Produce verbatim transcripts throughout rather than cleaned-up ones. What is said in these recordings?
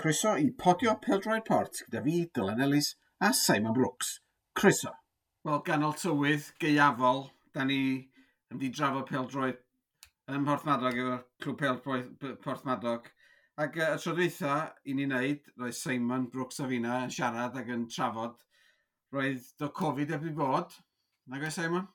Croeso i Podio Pêl-droed Port gyda fi, Dylan Ellis a Simon Brooks. Croeso. Wel, ganol tywydd, gaeafol, da ni yn di drafod pêl-droed ym Mhorthmadog efo'r clwb pêl Porthmadog. Ac y tro dwytha i ni wneud, roedd Simon Brooks a fina yn siarad ac yn trafod, roedd do Covid heb i bod. Nag oes, Simon?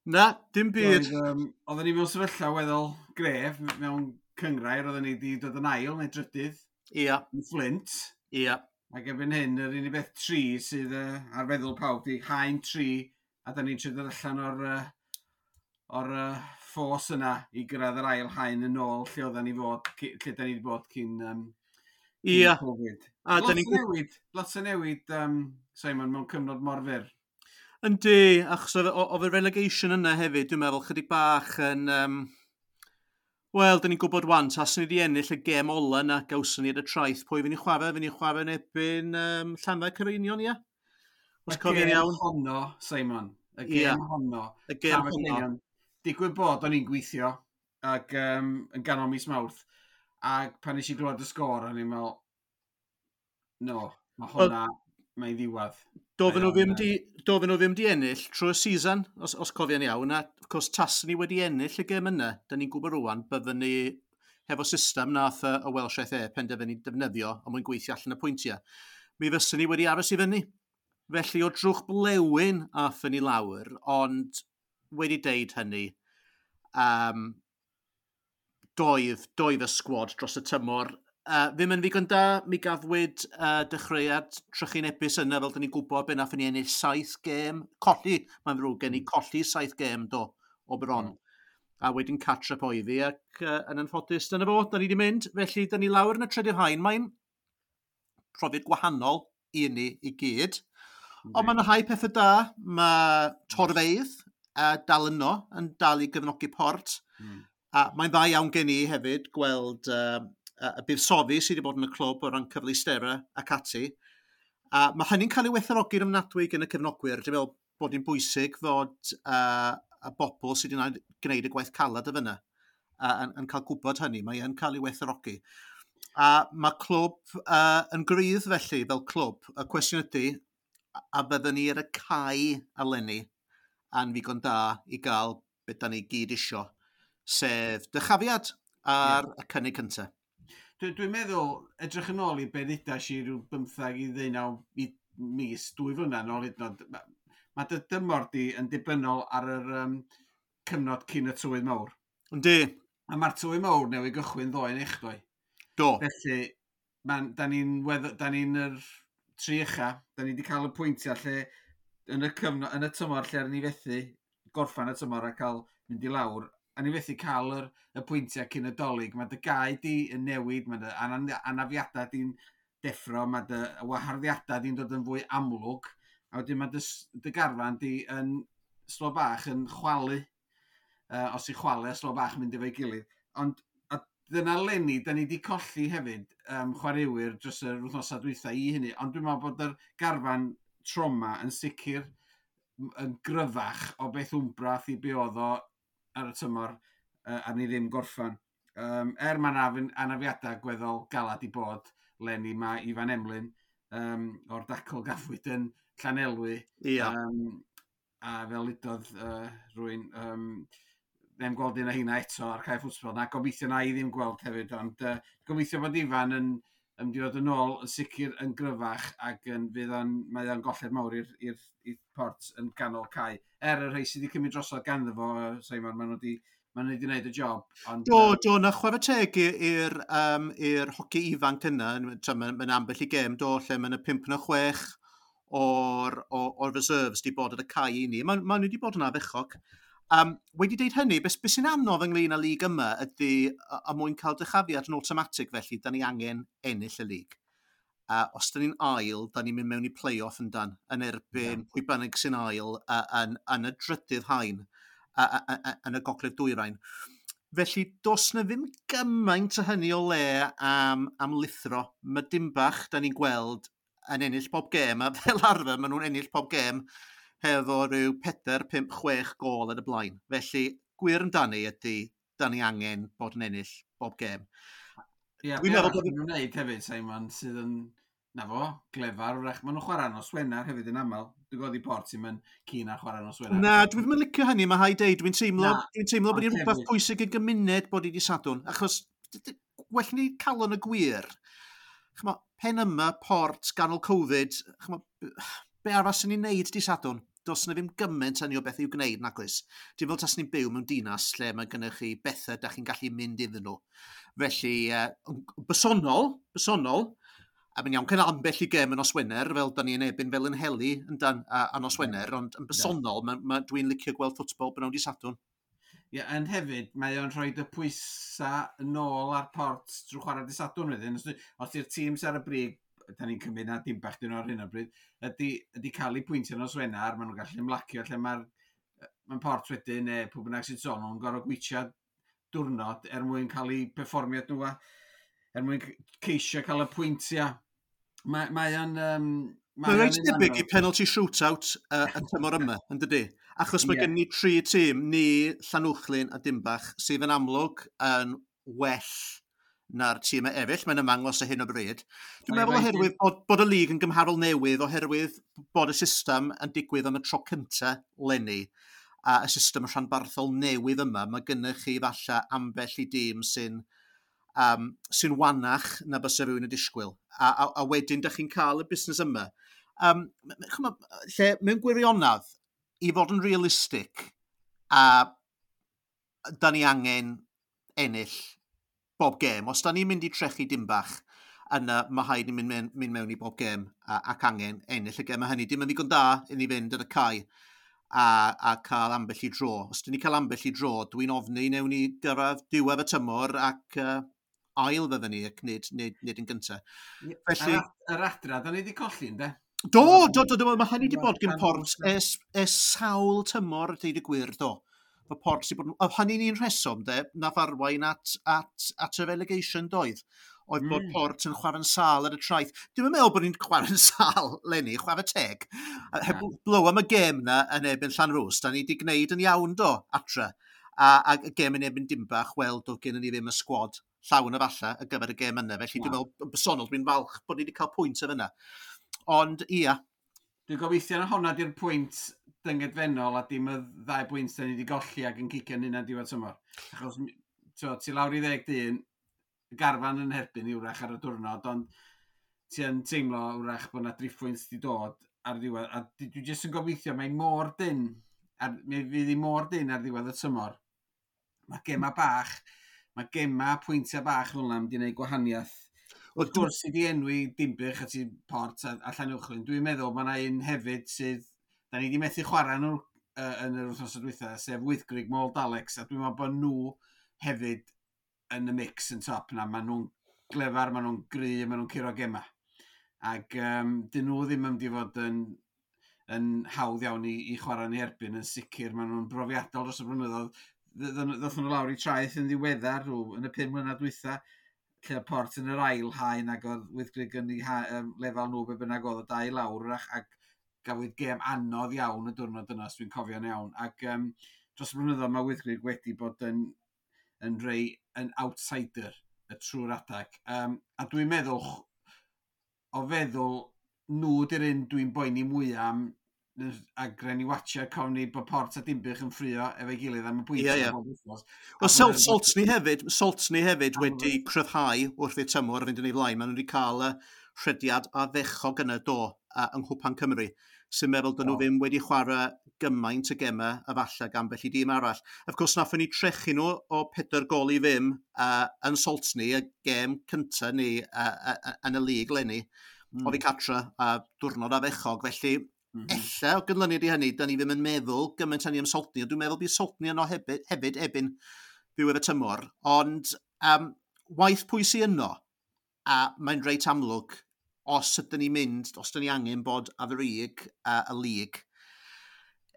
Na, dim byd. Roedd, um, oedden ni mewn sefyllfa weddol gref mewn cyngrair, oedden ni wedi dod yn ail neu drydydd. Ia. Yn Flint. Ia. Ac erbyn hyn, yr unig beth tri sydd uh, ar feddwl pawb di haen tri, a da ni'n trio dod allan o'r, uh, o'r uh, ffos yna i gyrraedd yr ail haen yn ôl lle oedden ni fod, lle da ni wedi bod cyn, um, cyn Ia. Covid. A lot o newid, lot o newid, um, Simon, mewn cyfnod mor fyr. Yndi, achos oedd y relegation yna hefyd, dwi'n meddwl, chydig bach yn... Um, Wel, dyn ni'n gwybod wan, taswn ni wedi ennill y gêm ola yna gawson ni ar y traeth, pwy fy'n ni chwarae? Fy'n ni chwarae yn erbyn um, Llanfair Caereinion, ia? Os cofio'n iawn. Honno, Simon. Y gêm ia. honno. Y gêm honno. Digwydd bod o'n i'n gweithio ac um, yn ganol mis Mawrth, ac pan nes i glywed y sgôr, o'n i'n meddwl, no, mae hwnna, mae'n ddiwadd. Doedden nhw ddim di, doedden nhw ddim di ennill trwy'r season, os, os cofio'n iawn, a of course taswn ni wedi ennill y gêm yna, da ni'n gwybod rwan, byddwn ni hefo system nath y, y Welsh F A penderfynu defnyddio a mwyn gweithio allan y pwyntiau. Mi fyswn ni wedi aros i fyny. Felly o drwch blewyn aethon ni lawr, ond wedi deud hynny, um, doedd, doedd y sgwad dros y tymor Uh, ddim yn ddigon da, mi gafwyd uh, dechreuad trychinebus yna, fel dyn ni'n gwybod, be nathon ni ennill saith gêm, colli, mae'n ddrwg gen i, colli saith gêm do, o bron. Mm. A wedyn catch-up oedd hi, ac uh, yn anffodus, dyna fo, da ni wedi mynd, felly da ni lawr yn y trydydd haen, mae'n profiad gwahanol i ni i gyd, mm. Ond mae'n rhai pethau da, mae torfeydd uh, dal yno, yn dal i gefnogi Port, mm. A mae'n dda iawn gen i hefyd gweld uh, y buddsoddi sydd wedi bod yn y clwb o ran cyfleusterau ac ati. A mae hynny'n cael ei werthfawrogi'n ofnadwy gan y cefnogwyr. Dwi'n meddwl bod hi'n bwysig fod uh, y bobl sydd wedi gwneud y gwaith calad y fyna uh, yn, yn cael gwybod hynny. Mae yn cael ei werthfawrogi. A mae clwb uh, yn gryf felly fel clwb. Y cwestiwn ydy, a byddwn ni ar y cae eleni a'n ddigon da i gael beth da ni gyd isio, sef dychafiad ar yeah. y cynnig cyntaf. Dwi'n dwi meddwl, edrych yn ôl i be ddudas i rhyw bymthag i ddeunaw i mis, dwy flynedd yn ôl hyd yn oed, mae ma dy dymor di yn dibynnol ar yr um, cyfnod cyn y tywydd mawr. Yndi. A mae'r tywydd mawr newydd gychwyn ddoe neu echddoe. Do. Felly, man, da ni'n da ni'n yr tri ucha, da ni wedi cael y pwyntiau lle yn y, cyfnod, yn y tymor lle ni fethu gorffan y tymor a cael mynd i lawr, a ni fethu cael yr, y pwyntiau cyn y Dolig. Mae dy gae di yn newid, mae dy anafiadau di'n deffro, mae dy waharddiadau di'n dod yn fwy amlwg, a wedyn mae dy, dy garfan di yn slo bach yn chwalu, uh, os i chwalu a slo bach yn mynd efo'i gilydd. Ond a dyna leni, da ni wedi colli hefyd um, chwaraewyr dros yr wythnosau dwytha i hynny, ond dwi'n meddwl bod yr garfan trauma yn sicr yn gryfach o beth wmbrath i be oedd o ar y tymor uh, a ni ddim gorffan. Um, er mae'n anafiadau gweddol galad i bod leni, mae Ifan Emlyn um, o'r dacl gafwyd yn Llanelwy. Ia. Um, a fel udodd uh, rwy'n um, ddim gweld un o heina eto ar cae ffwtbol. Na, gobeithio na i ddim gweld hefyd, ond uh, gobeithio bod Ifan yn yn mynd i fod yn ôl yn sicr yn gryfach ac yn, fydd o'n, mae o'n golled mawr i'r, i'r, i'r Port yn ganol cae. Er y rhai sydd wedi cymryd drosodd ganddo fo, Simon, maen nhw wedi maen nhw wedi gwneud y job. Ond, do, do, na chwarae teg i'r um, i'r hoci ifanc yna, mae'n ma ambell i gêm, do, lle mae'n y pump na chwech o'r, o'r, o'r reserves wedi bod ar y cae i ni. Maen ma nhw wedi bod yn ardderchog. Um, wedi deud hynny, beth be sy'n anodd ynglyn â lig yma ydy, a, a mwyn cael dychafiad yn automatic felly, da ni angen ennill y lig. Uh, os da ni'n ail, da ni'n mynd mewn i play-off yn dan, yn erbyn yeah. pwy bynnag sy'n ail uh, yn, yn y drydydd haen, uh, uh, uh, yn y gogledd dwyrain. Felly, does na ddim gymaint o hynny o le am, am lithro. Mae dim bach da ni'n gweld yn ennill pob gêm, a fel arfer maen nhw'n ennill pob gêm hefo rhyw pedair, pump, chwech gôl yn y blaen. Felly, gwir amdani ydy, da ni angen bod yn ennill bob gêm. Ie, dwi'n meddwl bod nhw'n wneud hefyd, Simon, sydd yn, na fo, glefar, wrach. Maen nhw'n chwarae nos Wener hefyd yn aml. Dwi'n gwybod i Port sy'n mynd cyn ar chwarae nos Wener. Na, dwi ddim yn licio hynny, mae rhaid deud. Dwi'n teimlo, dwi'n teimlo bod hi'n rhywbeth pwysig y gymuned bod i di Sadwrn. Achos, well ni calon y gwir. Ch'mo, pen yma, Port, ganol Covid, ch'mo, be arall sy'n ni'n neud di Sadwrn? Does na ddim gymaint hynny o beth i'w gwneud, nag oes. Dim fel tas ni'n byw mewn dinas lle mae gennych chi bethau da chi'n gallu mynd iddyn nhw. Felly, uh, bersonol, bersonol, a mae'n iawn cael ambell i gêm yn nos Wener, fel da ni'n ebyn fel yn heli yn dan, a, a nos Wener, ond yn bersonol, ma, ma, dwi'n licio gweld ffwtbol b'nawn di Sadwrn. Ie, yeah, ond hefyd, mae o'n rhoi y pwysau yn ôl ar Port drwy chwarae di Sadwrn wedyn. Os, os di'r tîm sy'n ar y brig, da ni'n cymryd na dim bach dyn nhw ar hyn o bryd, ydy, ydy cael eu pwyntio nos Wener, maen nhw'n gallu ymlacio lle mae'r mae'n Port wedyn, neu pwy bynnag sy'n sôn, nhw'n gorfod gweithio diwrnod er mwyn cael eu perfformiad nhw, a er mwyn ceisio cael y pwyntiau. Mae, mae o'n... Um, Mae'n reit debyg i penalty shootout uh, y tymor yma, yn dydy? Achos mae yeah. gen ni tri tîm, ni, Llanuwchllyn a Dimbach, sydd yn amlwg yn well na'r tîmau eraill, mae'n ymangos ar hyn o bryd. Dwi'n meddwl oherwydd bod, bod y lig yn gymharol newydd, oherwydd bod y system yn digwydd am y tro cyntaf leni, a y system rhanbarthol newydd yma, mae gennych chi falle ambell i dîm sy'n um, sy'n wanach na bysa rhywun yn disgwyl. A, a, a wedyn, dych chi'n cael y busnes yma. Um, ch'mo, lle mewn gwirionedd, i fod yn realistig, a da ni angen ennill bob gêm. Os da ni'n mynd i trechu Dimbach, yna mae rhaid ni mynd, mynd, mynd mewn i bob gêm a, ac angen ennill y gêm. A hynny dim yn ddigon da i ni fynd ar y cae a, a cael ambell i dro. Os dyn ni cael ambell i dro, dwi'n ofni newn ni gyrraedd diwedd y tymor ac uh, ail fydden ni ac nid, nid, nid yn gyntaf. Felly, yr, yr adra, da ni wedi colli, ynddo? Do, do, do, do, mae hynny wedi bod gen Port ers, ers sawl tymor, deud y gwir, do. Mae Port sydd bod... Oedd hynny'n un rheswm, de, nath arwain at, at, at y relegation doedd. Oedd bod mm. Port yn chwarae'n sâl ar y Traeth. Dwi'n meddwl bod ni'n chwarae'n sâl, leni, chwarae teg. Heb blow am y gêm na yn erbyn Llanrwst, da ni wedi gwneud yn iawn do, atra. A, a y gêm yn erbyn Dimbach, wel, doedd gen ni ddim y sgwad llawn efalla ar gyfer y gêm yna. Felly dwi'n meddwl, yn bersonol, dwi'n falch bod ni wedi cael pwynt ar yna. Ond, ia. Dwi'n gobeithio na honna di'r pwynt dyngedfennol a dim y ddau bwynt da ni wedi golli ac yn cicio'n hynna'n diwedd tymor. Achos t'wo, ti lawr i ddeg dyn, y garfan yn herbyn i wrach ar y diwrnod, ond ti yn teimlo wrach bod na driffwynt di dod ar ddiwedd. A dwi jyst yn gobeithio, mae mor dyn, ar, mi fydd hi mor dyn ar ddiwedd y tymor. Mae gema bach, mae gema pwyntiau bach fel yna yn mynd i wneud gwahaniaeth. Wrth gwrs, i di enwi Dinbych a ti Port a, a Llanuwchllyn, dwi'n meddwl mae yna un hefyd sydd, da ni wedi methu chwarae nhw uh, yn yr wythnos dwytha, sef Wyddgrug Mold Alex, a dwi'n meddwl bod nhw hefyd yn y mix yn top na. Maen nhw'n glefar, maen nhw'n gry, maen nhw'n curo gema. Ac um, dyn nhw ddim yn mynd i fod yn, yn hawdd iawn i, i chwarae yn erbyn, yn sicr. Maen nhw'n brofiadol dros y blynyddoedd. Ddothon nhw lawr i Traeth yn ddiweddar, rw, yn y pum mlynedd dwytha, lle oedd Port yn yr ail haen ac oedd Wyddgrug yn ei um, lefel nhw be bynnag oedd y dau lawr wrach, ac gafwyd gêm anodd iawn y diwrnod yna, os dwi'n cofio'n iawn. Ac um, dros y blynyddoedd mae Wyddgrug wedi bod yn, yn rei yn outsider y trwy'r adag. Um, a dwi'n meddwl, o feddwl, nhw di'r un dwi'n boeni mwyaf am, a gren i watcha cofni bod Port a Dinbych yn ffrio efo'i gilydd am y pwyntiau. Ie, ie. Wel, Salt, Saltney hefyd, Saltney hefyd wedi cryfhau wrth i'r tymor fynd yn ei flaen. Maen nhw wedi cael y rhediad ardderchog yna do uh, yng Nghwpan Cymru, sy'n meddwl dyn nhw ddim wedi chwarae gymaint y gemau a falle gan bell i dîm arall. Of course, nathon ni trechu nhw o pedair gol i ddim uh, yn Saltney, y gêm cyntaf ni uh, uh, yn y lig leni, mm. oddi cartra a diwrnod ardderchog. Felly, mm -hmm. ella o gynlyniad i hynny, da ni ddim yn meddwl gymaint hynny am Saltney, ond dwi'n meddwl bydd Saltney yno hefyd, hefyd ebyn ddiwedd y tymor. Ond um, waith pwy sy'n yno, a mae'n reit amlwg, os ydyn ni'n mynd, os ydyn ni angen bod ar frig uh, y lig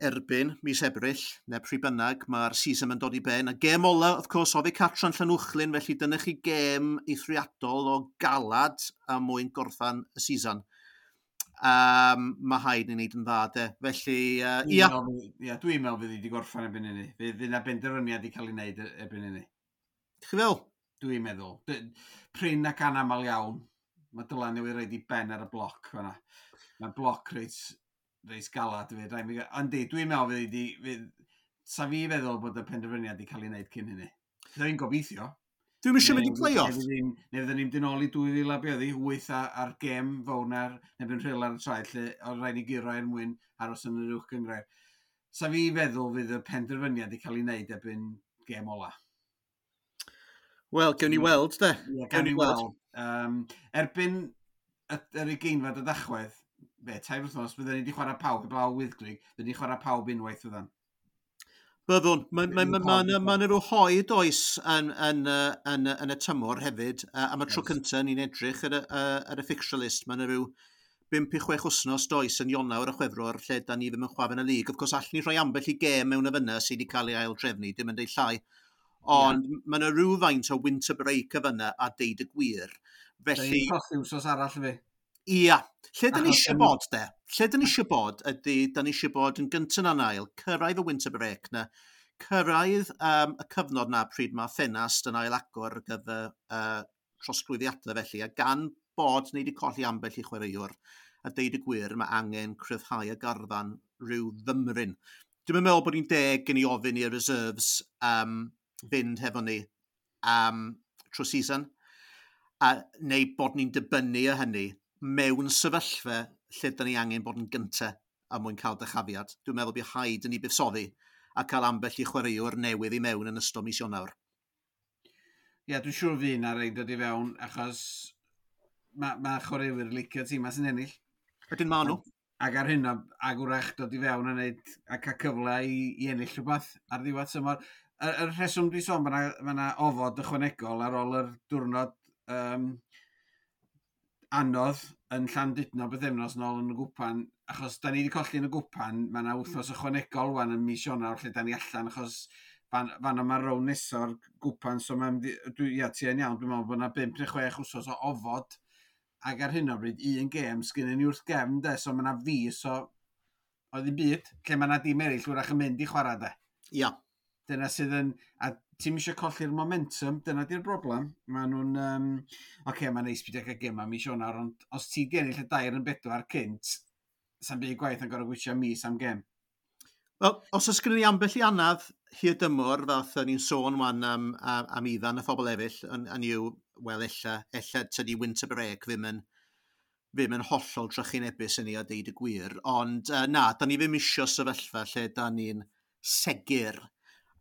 erbyn mis Ebrill, neu pryd bynnag, mae'r season yn dod i ben. A gêm ola, of course, oddi cartra'n Llanuwchllyn, felly dyna chi gêm eithriadol o galad a mwyn gorffan y season. Um, mae rhaid ni wneud yn dda, de. Felly, uh, ia. Ia, dwi'n meddwl fydd hi wedi gorffan erbyn hynny. Fydd yna benderfyniad i cael ei wneud erbyn hynny. Chi fel? Dwi'n meddwl. Prin ac anamal iawn. Mae Dylan newydd roid i ben ar y bloc fan'na. Mae bloc reit, reit galad. Yndi, dwi'n meddwl fydd di... Fydd, sa fi feddwl bod y penderfyniad wedi cael ei wneud cyn hynny. Dwi'n gobeithio. Dwi'n eisiau mynd i play-off. Neu fydden ni'n mynd yn ôl i dwy fil a be oedd hi, wyth a'r gêm fawr na'r neu Rhyl ar y traed, lle oedd rhaid i guro er mwyn aros yn yr uwch gynghrair. Sa fi feddwl fydd y penderfyniad wedi cael ei wneud erbyn gêm ola. Wel, gewn ni weld, de. Ie, gewn ni weld. Um, erbyn yr ugeinfed o Dachwedd, be, tair wythnos, byddwn ni wedi chwarae pawb, heblaw Wyddgrug, byddwn ni chwarae pawb unwaith fyddan. Byddwn. Mae ma, ma, ma, ma, ma rhyw hoed oes yn, yn, yn, yn, y tymor hefyd. Uh, am y tro cyntaf ni'n edrych ar y, ar y fixture list. Mae yna rhyw bump i chwech wythnos does yn Ionawr a Chwefror lle da ni ddim yn chwarae yn y lig. Of course, allwn ni rhoi ambell i gêm mewn y fyna sydd wedi cael ei ail drefnu, dim yn deud llai. Ond yeah. mae yna rhywfaint o winter break y fyna a deud y gwir. Felly... Da ni'n wsos arall fi. Ia. Lle da ni eisiau bod, de? Lle da ni eisiau bod ydy, da ni eisiau bod yn gyntaf na'n ail, cyrraedd y winter break na, cyrraedd um, y cyfnod na pryd mae ffenast yn ail agor ar gyfer uh, trosglwyddiadau felly, a gan bod ni wedi colli ambell i chwaraewr, a deud y gwir, mae angen cryfhau y garfan rhyw fymryn. Dwi'n meddwl bod ni'n deg gen i ofyn i'r reserves um, fynd hefo ni um, trwy season, a, neu bod ni'n dibynnu o hynny mewn sefyllfa lle da ni angen bod yn gyntaf a mwyn cael dychafiad. Dwi'n meddwl bydd rhaid yn ni buddsoddi a cael ambell i chwaraewr newydd i mewn yn ystod mis Ionawr. Ie, yeah, dwi'n siŵr fydd na rei dod i fewn, achos mae ma chwaraewyr licio tîm sy'n ennill. Ydyn ma nhw. Ac ar hyn o, ag wrach dod i fewn a neud, a cael cyfle i, i ennill rhywbeth ar ddiwedd tymor. Y, y rheswm dwi'n sôn, mae yna ofod ychwanegol ar ôl yr diwrnod um, anodd yn Llandudno bythefnos nôl yn y gwpan, achos da ni wedi colli yn y gwpan, mae yna wythnos ychwanegol wan yn mis Ionawr lle da ni allan, achos fan, fan yma rown neso'r gwpan, so mae'n, dwi, ia, ti yn iawn, dwi'n meddwl bod yna bump neu chwech wsos o ofod, ac ar hyn o bryd, un gêm sgynnon ni wrth gefn, de, so mae yna fis o, o ddim byd, lle mae yna dim eraill wrach yn mynd i chwarae, de. Ia. Dyna sydd yn, a ti'n eisiau colli'r momentum, dyna di'r broblem. Mae nhw'n, um, oce, okay, mae'n neis byd cael gema mis Ionawr, ond os ti di ennill y dair yn bedwar cynt, sa'n byd gwaith yn gorau gweithio mis am gem. Wel, os oes gennym ni ambell i anaf hir dymor, fath ni'n sôn wan am, am, am Ifan a phobl eraill, yn, yn yw, wel, ella, ella tydi winter break ddim yn, ddim yn hollol trychinebus yn ni a deud y gwir. Ond uh, na, da ni ddim isio sefyllfa lle da ni'n segur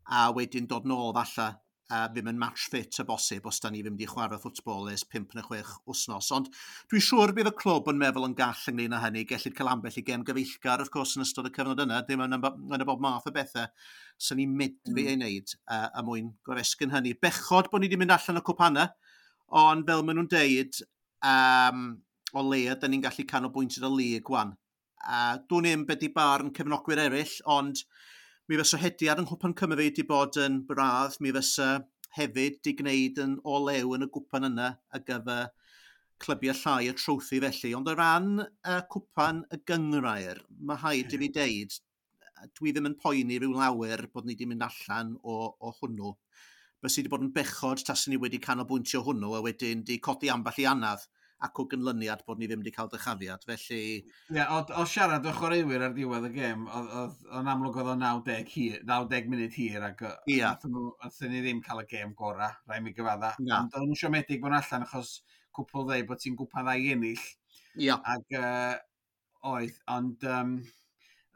a wedyn dod nôl falla a ddim yn match fit y bosib os da ni ddim wedi chwarae ffwtbol ers pump neu chwech wythnos. Ond dwi'n siŵr bydd y clwb yn meddwl yn gall ynglyn â hynny. Gellid cael ambell i gem gyfeillgar, of course, yn ystod y cyfnod yna. Dim yn, yn y bob math o bethau sy'n ni'n medru mm. ei wneud uh, a mwyn goresgyn hynny. Bechod bod ni wedi mynd allan o cwpanau, ond fel maen nhw'n deud, um, o leia, da ni'n gallu canolbwyntio ar y lig wan. A dwi'n i'm beth i barn cefnogwyr eraill, ond mi fysa hediad yng Nghwpan Cymru wedi bod yn braf, mi fysa hefyd di gwneud yn o lew yn y gwpan yna ar gyfer clybiau llai y trowthi felly. Ond o ran y cwpan y gynghrair, mae rhaid i fi deud, dwi ddim yn poeni rhyw lawer bod ni wedi mynd allan o, o hwnnw. Bysa wedi bod yn bechod taswn ni wedi canolbwyntio hwnnw a wedyn di codi ambell i anaf ac o gynlyniad bod ni ddim wedi cael dychafiad. Felly... Ie, yeah, o, o siarad o chwaraewyr ar diwedd y gêm, oedd o'n amlwg oedd o naw deg, hir, naw deg munud hir ac yeah. nathon ni ddim cael y gêm gorau, rhaid mi gyfadda. Na. Ond oedd nhw'n siomedig bod allan achos cwpl ddeud bod ti'n gwpan dda i ennill. Ia. Ac uh, oedd, ond um,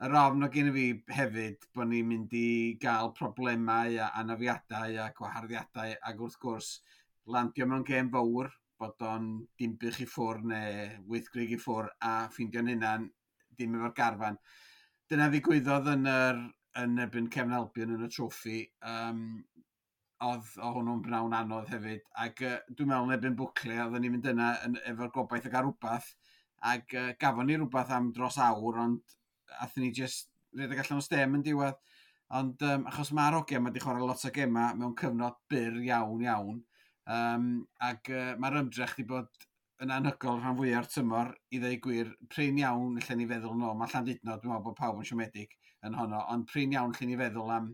yr ofn o gen i fi hefyd bod ni'n mynd i gael problemau a anafiadau a gwaharddiadau ac wrth gwrs landio mewn gêm fawr bod o'n Dinbych i ffwr neu Wyddgrug i ffwr a ffeindio'n hunan dim efo'r garfan. Dyna ddigwyddodd yn yr yn erbyn Cefn Albion yn y troffi. Um, oedd o hwnnw'n bnawn anodd hefyd. Ac uh, dwi'n meddwl yn erbyn Bwcle, oedden ni'n mynd yna yn, efo'r gobaith o gael rhywbeth. Ac uh, gafon ni rhywbeth am dros awr, ond athyn ni just rhedeg allan o stem yn diwedd. Ond um, achos mae'r hogia yma wedi chwarae lot o gemau mewn cyfnod byr iawn iawn. Um, ac uh, mae'r ymdrech wedi bod yn anhygoel rhan fwyaf o'r tymor, i ddweud gwir, prin iawn lle ni feddwl nôl. Mae Llandudno, dwi'n meddwl bod pawb yn siomedig yn honno, ond prin iawn lle ni feddwl am,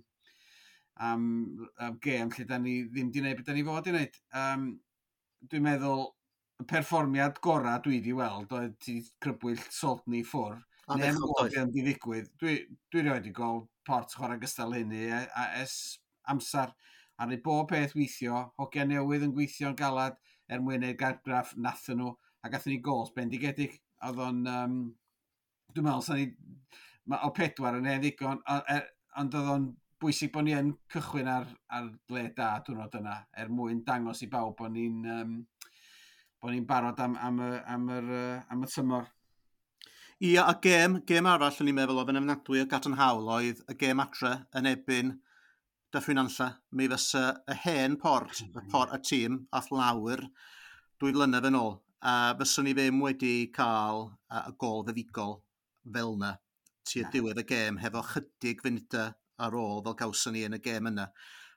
am, am gêm lle da ni ddim di wneud beth da ni fod i wneud. Um, dwi'n meddwl, y perfformiad gorau dwi wedi weld oedd ti crybwyll Saltney ffwr. Neu am ddim di ddigwydd. Dwi, dwi rioed wedi gweld Port chwarae gystal hynny a, a es amser. A neu bob peth weithio, hogia newydd yn gweithio'n galad er mwyn ei gargraff nathyn nhw, a gathon ni gols bendigedig. Oedd o'n, um, dwi'n meddwl, sa'n ni, ma, o pedwar yn hen ddigon, e, ond oedd o'n bwysig bod ni yn cychwyn ar, ar le da diwrnod yna, er mwyn dangos i bawb bod ni'n um, bod ni'n barod am, am, y, am, yr, am y tymor. Ia, a gêm, gêm arall o'n i'n meddwl oedd yn ofnadwy o gadarnhaol oedd y gêm adre yn ebyn Dyffryn Nantlle. Mi fysa y hen Port, y, port, y tîm, ath lawr dwy flynedd yn ôl. A fyswn ni ddim wedi cael y gol fuddugol fel yna tua diwedd y gêm hefo chydig funudau ar ôl fel gawson ni yn y gêm yna.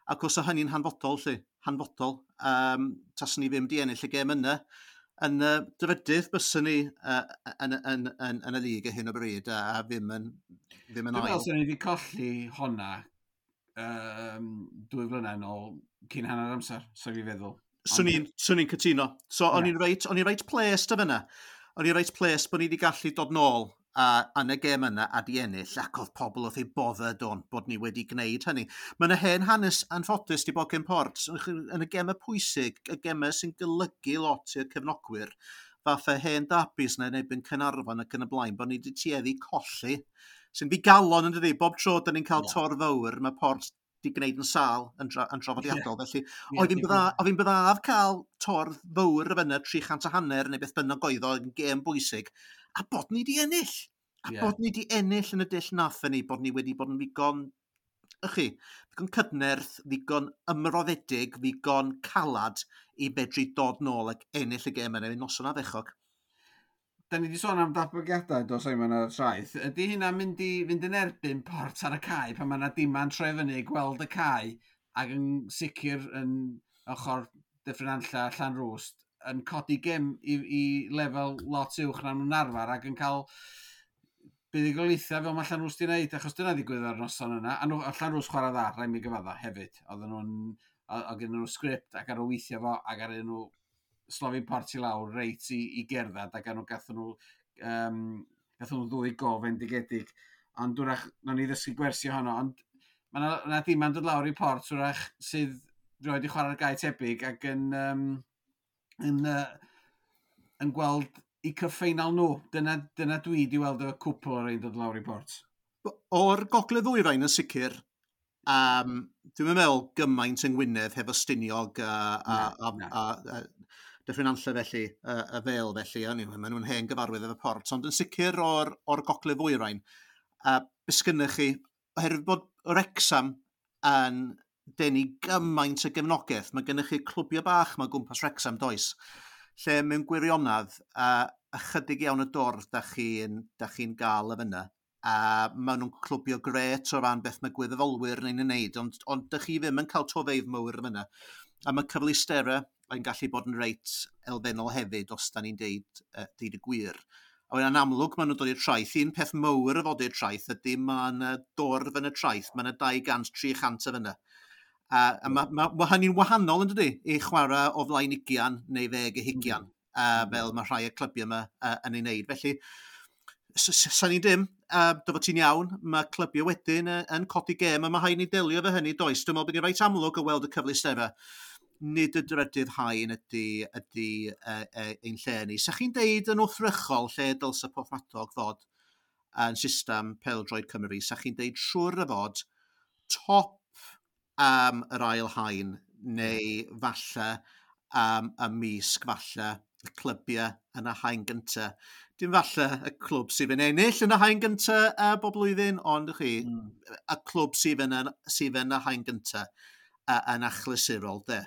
Ac os o hynny'n hanfodol, lly, hanfodol, um, taswn ni ddim di ennill y gêm yna, yn y dyfydydd byswn ni uh, yn, yn, yn, yn y lig ar hyn o bryd a, a ddim yn, ddim yn ail. Dwi'n meddwl sy'n ni wedi colli honna um, dwy flynedd yn ôl cyn hanner amser, so fi feddwl. Swn i'n swn i'n cytuno. So yeah. o'n i'n reit, o'n i'n reit pleased o fyna. O'n i'n reit pleased bod ni wedi gallu dod nôl a, yn y gêm yna a di ennill, ac oedd pobl wrth eu boddau don bod ni wedi gwneud hynny. Mae yna hen hanes anffodus di bod gen Port yn y gemau pwysig, y gemau sy'n golygu lot i'r cefnogwyr, fatha hen dabis yna yn erbyn Caernarfon ac yn y blaen, bod ni wedi tueddu colli, sy'n ddigalon yn dydi, bob tro da ni'n cael yeah. tor fawr, mae Port di gwneud yn sâl yn, dra, yn draddodiadol. Yeah. Felly, yeah, oedd hi'n byddaf cael tor fawr y fyna, tri chant a hanner neu beth bynnag oedd o yn gêm bwysig, a bod ni di ennill. A yeah. bod ni di ennill yn y dull nathon ni, bod ni wedi bod yn ddigon, ych chi, ddigon cydnerth, ddigon ymroddedig, ddigon calad i fedru dod nôl ac ennill y gêm yna, noson ardderchog. Da ni wedi sôn am datblygiadau dos Simon ar y traeth. Ydy hynna'n mynd i fynd yn erbyn Port ar y cae pan mae yna dima'n troi fyny, gweld y cae ac yn sicr yn ochr Dyffryn Nantlle, Llanrwst, yn codi gem i, i lefel lot uwch na nhw'n arfer ac yn cael buddugoliaethau fel mae Llanrwst i wneud, achos dyna ddigwydd ar noson yna. A, nhw, a Llanrwst chwarae dda, rhaid mi gyfadda hefyd. Oedden nhw'n, oedd gen nhw sgript ac ar o weithio fo ac ar nhw slofi Port i lawr reit i, i gerdded ac nhw gathon nhw, um, gathon nhw ddwy gol fendigedig. Ond wrach, nawn ni ddysgu gwersi ohono, ond mae yna, na dima'n dod lawr i Port wrach sydd roed i chwarae'r gae tebyg ac yn, um, yn, uh, yn gweld i cyffeinal nhw. Dyna, dyna dwi di weld y cwpl o'r ein dod lawr i Port. O'r gogledd ddwyrain yn sicr, um, dwi'n meddwl gymaint yng Ngwynedd hefo Stiniog a, a, a, a, a, a Dyffryn Nantlle felly, y, y fel felly, anyway, maen nhw'n hen gyfarwydd efo Port, ond yn sicr o'r, or gogledd ddwyrain, a be sgynnych chi, oherwydd bod Wrecsam yn denu gymaint o gefnogaeth, mae gennych chi clwbiau bach mae gwmpas Wrecsam, does, lle mewn gwirionedd, a ychydig iawn y dorf da chi'n chi gael y fyna, a maen nhw'n clwbio gret o ran beth mae gwirfoddolwyr neu'n ei wneud, ond, ond dych chi ddim yn cael tofeidd mawr y fyna. A mae cyfleusterau yn gallu bod yn reit elfennol hefyd, os da ni'n deud, uh, deud y gwir. A wedyn yn amlwg maen nhw'n dod i'r traeth. Un peth mawr y fod i'r traeth ydy mae yna dorf yn y traeth, mae yna dau gant, tri chant o fyna. A, a mae ma, ma hynny'n wahanol yn dydi, i chwarae o flaen ugian neu ddeg y hugian, mm. uh, fel mae rhai y clybiau yma uh, yn ei wneud. Felly, sa'n ni dim, uh, dy fod ti'n iawn, mae clybiau wedyn uh, yn codi gêm, a mae rhaid ni delio efo hynny, does. Dwi'n meddwl bod ni'n reit amlwg o weld y cyfleusterau. Nid y drydydd haen ydy, ydy uh, uh, ein lle ni. Sa chi'n deud yn wrthrychol lle dylse Porthmadog fod yn system pêl-droed Cymru? Sa chi'n deud siŵr y fod top um, yr ail haen neu falle um, ymysg falle y clybiau yn y haen gyntaf. Dim falle y clwb sydd yn ennill yn y haen gyntaf uh, bob blwyddyn, ond chi, mm. y clwb sydd yn, sydd yn y haen gyntaf uh, yn achlysurol, de.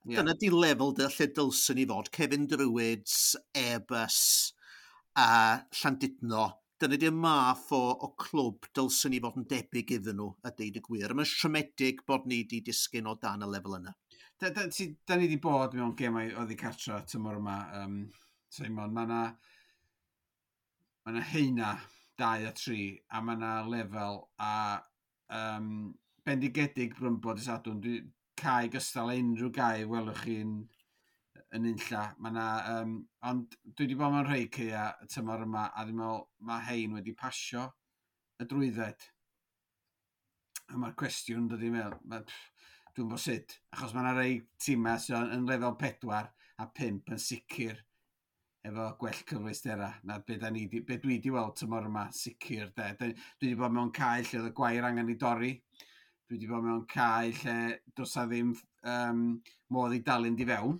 Yeah. Dyna di lefel de lle dylswn ni fod. Kevin Druids, Airbus a Llandudno. Dyna di'r math o, o clwb dylswn ni fod yn debyg iddyn nhw, a deud y gwir. Mae'n siomedig bod ni di disgyn o dan y lefel yna. Da, da, ti, da ni di bod mewn gemau oddi cartra tymor yma, um, Simon. Mae yna ma na heina dau a tri, a mae yna lefel, a um, bendigedig Brymbo dy Sadwrn. Dwi cae gystal â unrhyw gae welwch chi'n yn unlla. Ma' 'na, um, ond dwi wedi bod mewn rhai caea y tymor yma, a dwi'n meddwl mae hein wedi pasio y drwydded. A mae'r cwestiwn dod i meddwl, ma, dwi'n bod sut, achos mae yna rei tîmau sydd yn lefel pedwar a pump yn sicr efo gwell cyfleusterau na be, da ni, di, be dwi wedi weld tymor yma, sicr. De. Dwi wedi bod mewn cae lle oedd y gwair angen i dorri. Dwi wedi bod mewn cae lle does 'na ddim um, modd i dalu'n di fewn.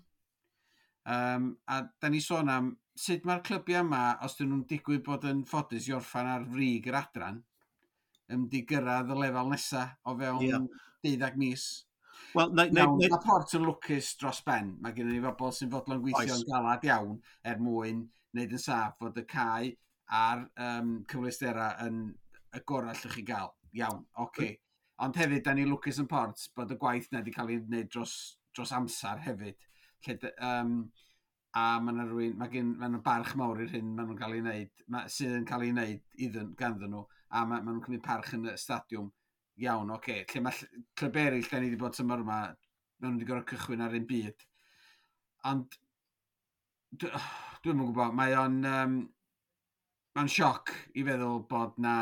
Um, a da ni sôn am sut mae'r clybiau yma, os dyn nhw'n digwydd bod yn ffodus i orffan ar frig yr adran, yn di gyrraedd y lefel nesaf o fewn yeah. deuddag mis. Wel, na, na, Iawn, na, mae Port yn lwcus dros ben. Mae gennym ni bobl sy'n fodlon gweithio'n Oes. galad iawn er mwyn wneud yn saff fod y cae a'r um, cyfleusterau yn y gorau allwch chi gael. Iawn, oce. Okay. Ond hefyd, da ni lwcus yn Port bod y gwaith na wedi cael ei wneud dros, dros amser hefyd. Lle, dy- um, a mae yna rhywun, mae gen, mae nhw barch mawr i'r hyn maen nhw'n cael ei wneud, ma, sydd yn cael ei wneud iddyn, ganddyn nhw, a ma, ma nhw'n cymryd parch yn y stadiwm. Iawn, oce. Okay. Lle mae ll- clwb eraill da ni wedi bod tymor yma, maen nhw wedi gorfod cychwyn ar un byd. Ond, dwi- dwi'm yn gwybod, mae o'n, um, mae'n sioc i feddwl bod na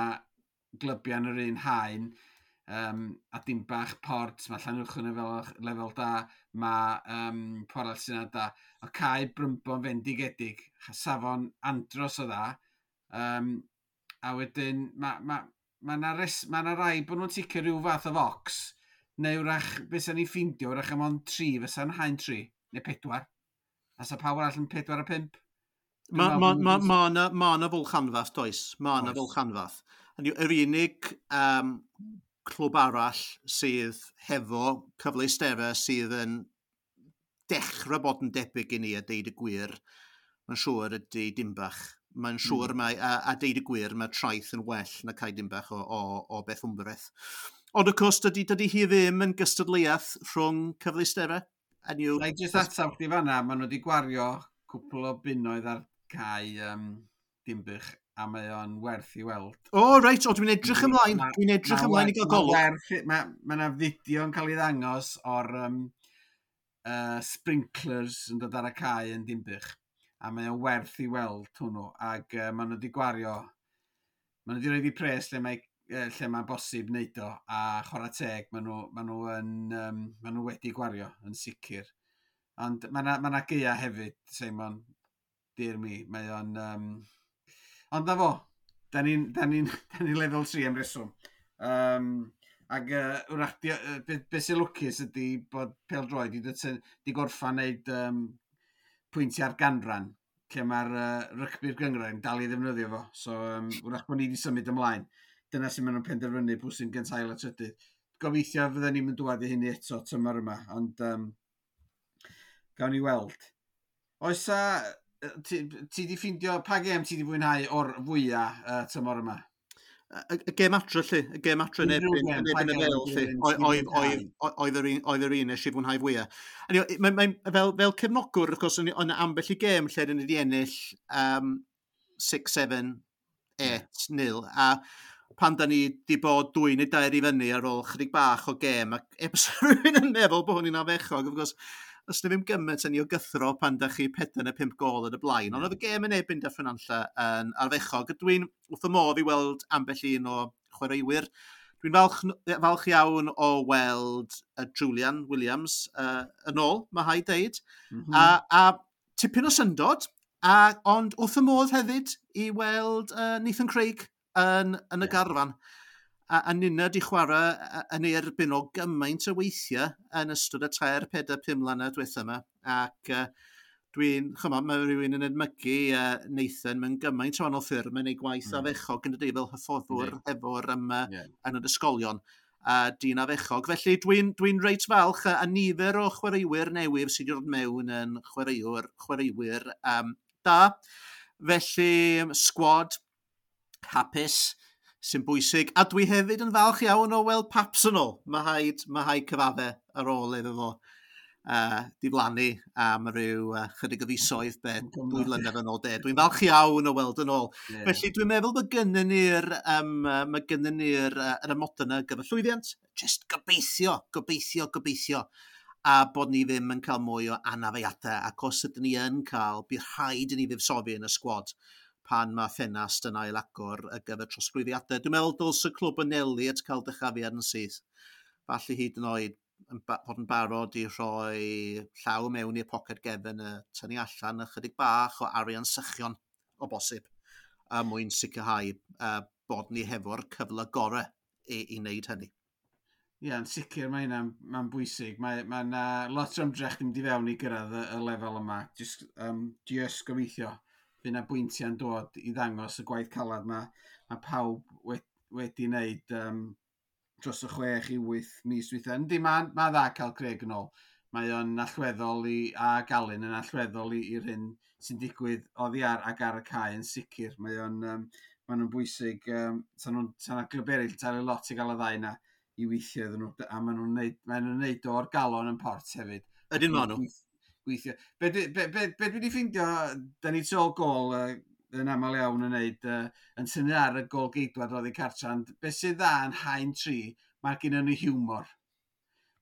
glybiau yn yr un haen, um, a dim bach Port, mae Llanuwchllyn yn fel lefel da, mae um, Porth sy'n da, o cae Brymbo'n fendigedig, safon andros o dda, um, a wedyn mae ma, ma na, res, ma na rai bod nhw'n ticio rhyw fath o focs, neu wrach, beth sa'n ni ffindio, wrach am ond tri, fysa'n haen tri, neu pedwar. A sa pawb arall yn pedwar a pump. Dwi'n Mae meddwl ma, bod ma, nhw'n- ma, na, ma na fwlch anfath, does? Ma na Oes. fwlch anfath. Hynny yw, yr unig um, clwb arall sydd hefo cyfleusterau sydd yn dechrau bod yn debyg i ni a deud y gwir, mae'n siŵr ydy Dimbach. Mae'n siŵr mm. mae, a, a deud y gwir, mae Traeth yn well na cae Dimbach o, o, o beth wmbreth. Ond of course, dydy, dydy hi ddim yn gystadleuaeth rhwng cyfleusterau. Hynny yw, Na i jyst atab chdi fanna, maen nhw wedi gwario cwpl o bunnoedd ar cae um, Dimbych, a mae o'n werth i weld. O, reit, o, dwi'n edrych ymlaen. Ma- Dwi'n edrych Ma' ymlaen i wer- gael ma' golwg. werth- Mae ma 'na fideo yn cael ei ddangos o'r um, uh, sprinklers yn dod ar y cae yn Dimbych. A mae o'n werth i weld hwnnw. Ac uh, maen nhw wedi gwario, maen nhw wedi rhoi i pres lle mae uh, lle mae'n bosib wneud o, a chwarae teg, maen nhw, maen nhw, yn, um, maen nhw wedi gwario yn sicr. Ond mae yna ma 'na gaea hefyd, Simon, dear me, mae o'n... Um... Ond na fo, da ni'n da ni, da ni lefel tri am reswm. Um, ac uh, wrach, di, uh, be, be sy'n lwcus ydy bod pêl-droed di, di, di gorffan wneud um, pwyntiau ar ganran, lle mae'r uh, rygbi'r gynghrair yn dal i ddefnyddio fo. So, um, wrach bod ni wedi symud ymlaen. Dyna sy'n maen nhw'n penderfynu pwy sy'n gynta, ail a trydydd. Gobeithio fydden ni'n mynd dŵad i hynny eto tymor yma, ond um, gawn ni weld. Oes a, ti, ti di ffindio, pa gêm ti di fwynhau o'r fwyaf uh, tymor yma? Y, y gêm adre, lle, y gêm adre yn Unrhyw erbyn gêm, yn pa erbyn y gêm Fel, ti lle. di- Oedd ti di oedd- oedd- oedd yr un oedd yr un nes i fwynhau fwyaf. Anyway, mae, mae, fel, fel cefnogwr, wrth gwrs, o'n o'n ambell i gêm lle dyn ni wedi ennill um, chwech, saith, wyth, nil, a pan da ni di bod dwy neu dair i fyny ar ôl chydig bach o gêm, ac e rhywun yn meddwl bod hwn i'n afechog, of course, os na ddim gymaint yn ei o gythro pan da chi pedair neu pump gol yn y blaen. Ond oedd y gêm yn erbyn Dyffryn Nantlle yn arfechog. Dwi'n wrth y modd i weld ambell un o chwaraewyr. Dwi'n falch, falch iawn o weld uh, Julian Williams uh, yn ôl, mae rhaid deud. Mm -hmm. A, a tipyn o syndod, a, ond wrth y modd hefyd i weld uh, Nathan Craig yn, yn y Ie. garfan. A, a ninna di chwarae yy yn ei erbyn o gymaint o weithiau yn ystod y tair, pedair, pum mlynedd diwetha yma. Ac uh, dwi'n, chymod, mae rhywun yn edmygu uh, Nathan mewn gymaint o wahanol ffyrdd mewn ei gwaith Mm. mm. afechog yn dydi fel hyfforddwr Yndi. efo'r um, Ie. yn yr ysgolion a dyn afechog. Felly dwi'n dwi reit falch a, a nifer o chwaraewyr newydd sydd wedi dod mewn yn chwaraewr, chwaraewyr um, da. Felly, sgwad hapus sy'n bwysig. A dwi hefyd yn falch iawn o weld Paps yn ôl. Mae rhaid, mae rhaid cyfadde ar ôl iddo fo uh, diflannu am ryw uh, chydig o fisoedd be dwy flynedd yn ôl de. Dwi'n falch iawn o weld yn ôl. Yeah. Felly dwi'n meddwl bod gynnon ni'r um, mae gynnon ni'r uh, yr amodau yna gyfer llwyddiant. Just gobeithio, gobeithio, gobeithio a bod ni ddim yn cael mwy o anafiadau, ac os ydyn ni yn cael, bydd rhaid i ni fuddsoddi yn y sgwad pan mae ffenast yn ail agor ar gyfer trosglwyddiadau. Dwi'n meddwl dylse y clwb anelu at cael dychafiad yn syth. Falle hyd yn oed yn ba fod yn barod i rhoi llaw mewn i'r poced gefn a tynnu allan ychydig bach o arian sychion o bosib a mwyn sicrhau uh, bod ni hefo'r cyfle gorau i, i wneud hynny. Ie, yeah, yn sicr mae hynna'n mae'n bwysig. Mae, mae yna lot o ymdrech ddim di fewn i gyrraedd y, y lefel yma. Just, um, just gobeithio fydd yna bwyntiau'n dod i ddangos y gwaith calad mae, mae pawb wedi, wedi wneud um, dros y chwech i wyth mis dwytha. Yndi, mae'n ma dda cael Craig yn ôl. Mae o'n allweddol i, a Galun yn allweddol i'r hyn sy'n digwydd oddi ar ac ar y cae yn sicr. Mae o'n um, ma nhw'n bwysig. Um, sa nhw'n sa glwb eraill talu lot i gael y ddau na i weithio iddyn nhw, a maen nhw'n neud, maen nhw'n neud o'r galon yn Port hefyd. Ydyn maen nhw. Gweithio. Be, be, be, be, be dwi wedi ffeindio, da ni tu ôl gôl uh, yn aml iawn yn neud, uh, yn tynnu ar y gôl geidwad oddi cartra, ond be sydd dda yn haen tri, mae gen nhw hiwmor.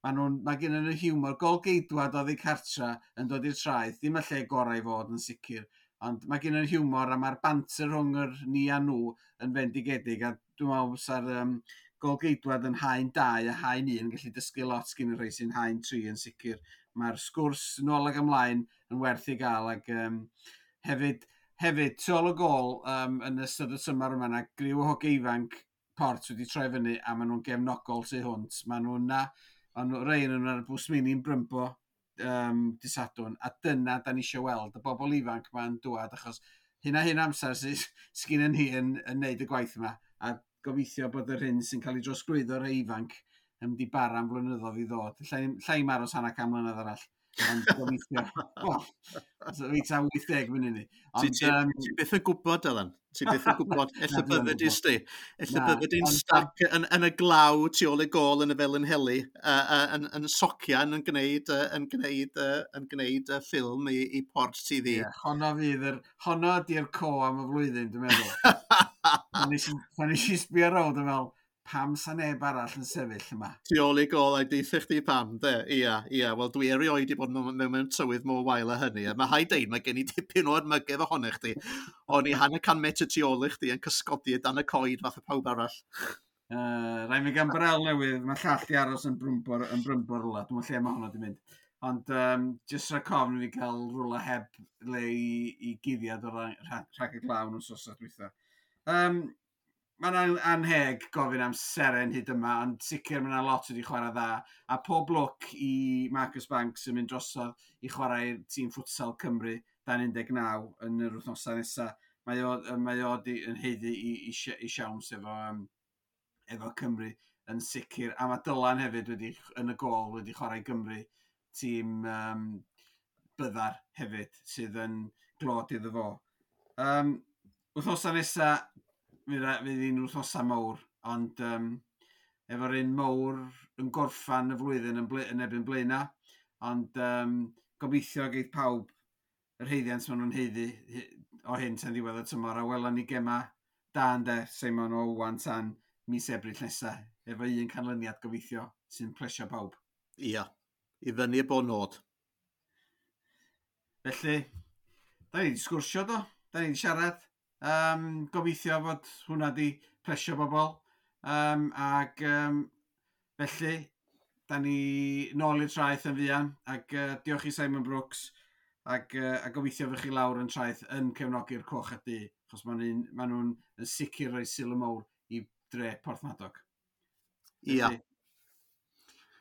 Mae nhw'n, mae gen nhw hiwmor. Gôl geidwad oddi cartra yn dod i'r Traeth, ddim y lle gorau i fod yn sicr, ond mae gen nhw hiwmor a mae'r banter rhwng yr ni a nhw yn fendigedig, a dwi'n meddwl fysa'r um, gôl geidwad yn haen dau a haen un yn gallu dysgu lot gen y rhai sy'n haen tri yn sicr. Mae'r sgwrs nôl ag ymlaen yn werth i gael ac um, hefyd, hefyd tu ôl y gôl um, yn ystod y tymor yma na griw o hogia ifanc Port wedi troi fyny a maen nhw'n gefnogol tu hwnt. Maen nhw'n na, maen nhw, rei nhw'n ar y bws mini'n Brymbo um, dydd Sadwrn, a dyna da ni eisiau weld y bobl ifanc ma'n dŵad achos hyn a hyn amser sydd sgyn ni yn, yn neud y gwaith yma a gobeithio bod yr hyn sy'n cael ei drosglwyddo rei ifanc yn mynd i bara am flynyddoedd i ddod. Llai i'm aros hanner can mlynedd arall. Ond gobeithio. Wel, fi ta wyth deg mynd ni. Ond, ti, um, ti byth yn gwybod, Dylan. Ti byth yn gwybod. Ella bydde di sti. Ella bydde di'n stuck yn, yn y glaw tu ôl i gôl yn y Felinheli, uh, uh, yn, yn socian yn gwneud, uh, yn gwneud, uh, yn gwneud uh, ffilm i, i Port T V. Yeah, honno fydd yr, honno di'r co am y flwyddyn, dwi'n meddwl. Pan nes i, pan nes i sbio rownd yn fel, pam sa neb arall yn sefyll yma? Tu ôl i gôl a'i deithio chdi pam, de? Ia, ia. Wel, dwi erioed i bod mewn, mewn, mewn tywydd mor wael â hynny. A mae rhaid deud, mae gen i dipyn o edmygedd ohono chdi. O'n i hanner can metr tu ôl i chdi yn cysgodi dan y coed fath o pawb arall. Uh, Rhaid mi gan barel newydd, mae llall di aros yn Brymbo, yn Brymbo rwla. Dwi'n meddwl lle mae hwnna di mynd. Ond um, jyst rhag ofn i fi gael rwla heb le i, i guddiad o rhag, rhag y glaw yn wythnos dwytha. Um, Mae'n anheg gofyn am seren hyd yma, ond sicr mae yna lot wedi chwarae dda. A pob lwc i Marcus Banks yn mynd drosodd i chwarae i'r tîm futsal Cymru dan un deg naw yn yr wythnosau nesaf. Mae o, mae o di, yn haeddu i, i, i siawns efo, um, efo Cymru yn sicr. A mae Dylan hefyd wedi, yn y gôl wedi chwarae Gymru, tîm um, byddar hefyd, sydd yn glod iddo fo. Um, wythnosau nesaf, fydd fydd hi'n wythnosau mawr, ond um, efo'r un mawr yn gorffan y flwyddyn yn, ble, yn erbyn Blaena, ond um, gobeithio geith pawb yr haeddiant maen nhw'n haeddu o hyn tan ddiwedd y tymor, a welon ni gema da ynde, Simon, o wan tan mis Ebrill nesa, efo un canlyniad gobeithio sy'n plesio pawb. Ia, i fyny y bod nod. Felly, da ni wedi sgwrsio do, da ni wedi siarad. Um, gobeithio fod hwnna di plesio bobl. Um, ac um, felly, da ni nôl i'r Traeth yn fuan, ac uh, diolch i Simon Brooks, ac, uh, a gobeithio fy chi lawr yn Traeth yn cefnogi'r coch a du, achos maen nhw'n ma nhw'n yn sicr rhoi sylw mawr i dre Porthmadog. Ia.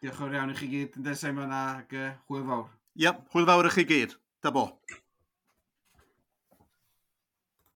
Diolch yn fawr iawn i chi gyd, ynde Simon, ac uh, hwyl fawr. Ia, hwyl fawr i chi gyd. Da bo.